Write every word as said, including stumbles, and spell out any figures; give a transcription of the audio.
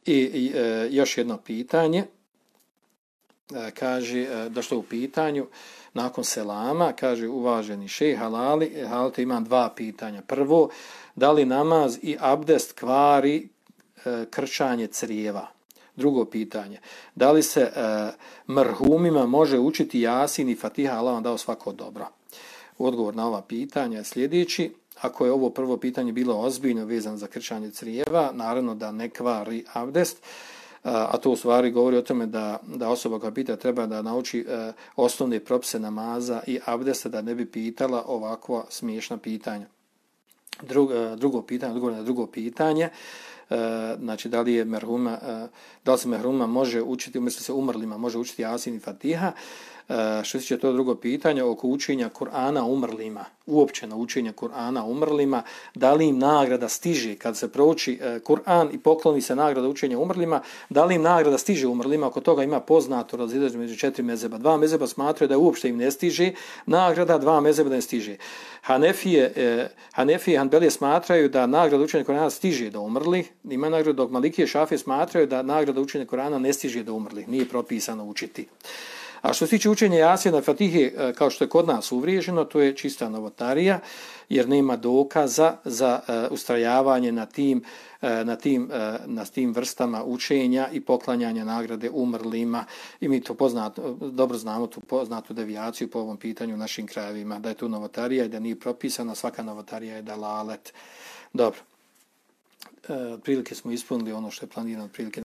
I, i e, još jedno pitanje, e, kaže, e, došlo u pitanju, nakon selama, kaže uvaženi šejh halali, halite imam dva pitanja. Prvo, da li namaz i abdest kvari e, krčanje crijeva? Drugo pitanje, da li se e, mrhumima može učiti Jasin i Fatiha, Allah vam dao svako dobro? Odgovor na ova pitanja je sljedeći. Ako je ovo prvo pitanje bilo ozbiljno vezano za krčanje crijeva, naravno da ne kvari abdest, a to u stvari govori o tome da, da osoba koja pita treba da nauči e, osnovne propise namaza i abdesta, da ne bi pitala ovakva smiješna pitanja. Drug, e, drugo pitanje, odgovor na drugo pitanje, e, znači da li je merhuma, e, da li se merhuma može učiti, umjesto se umrlima može učiti Jasin i Fatiha. E, što se tiče to drugo pitanje oko učenja Kur'ana umrlima, uopće na učenje Kur'ana umrlima, da li im nagrada stiže kad se prouči e, Kur'an i pokloni se nagrada učenja umrlima, da li im nagrada stiže umrlima? Oko toga ima poznato razilaženje među četiri mezheba. Dva mezheba smatraju da uopšte im ne stiže nagrada, dva mezheba da ne stiže. Hanefije, e, Hanefije i Hanbelije smatraju da nagrada učenja Kur'ana stiže do umrlih, ima nagrada, dok Malikije i Šafije smatraju da nagrada učenja Kur'ana ne stiže do umrlih, nije propisano učiti. A što se tiče učenja Jasina i Fatihe, kao što je kod nas uvriježeno, to je čista novotarija, jer nema dokaza za uh, ustrajavanje na tim, uh, na, tim, uh, na tim vrstama učenja i poklanjanja nagrade umrlima. I mi to poznato, dobro znamo tu poznatu devijaciju po ovom pitanju u našim krajevima, da je tu novotarija i da nije propisana, svaka novotarija je dalalet. Dobro, uh, prilike smo ispunili ono što je planirano, prilike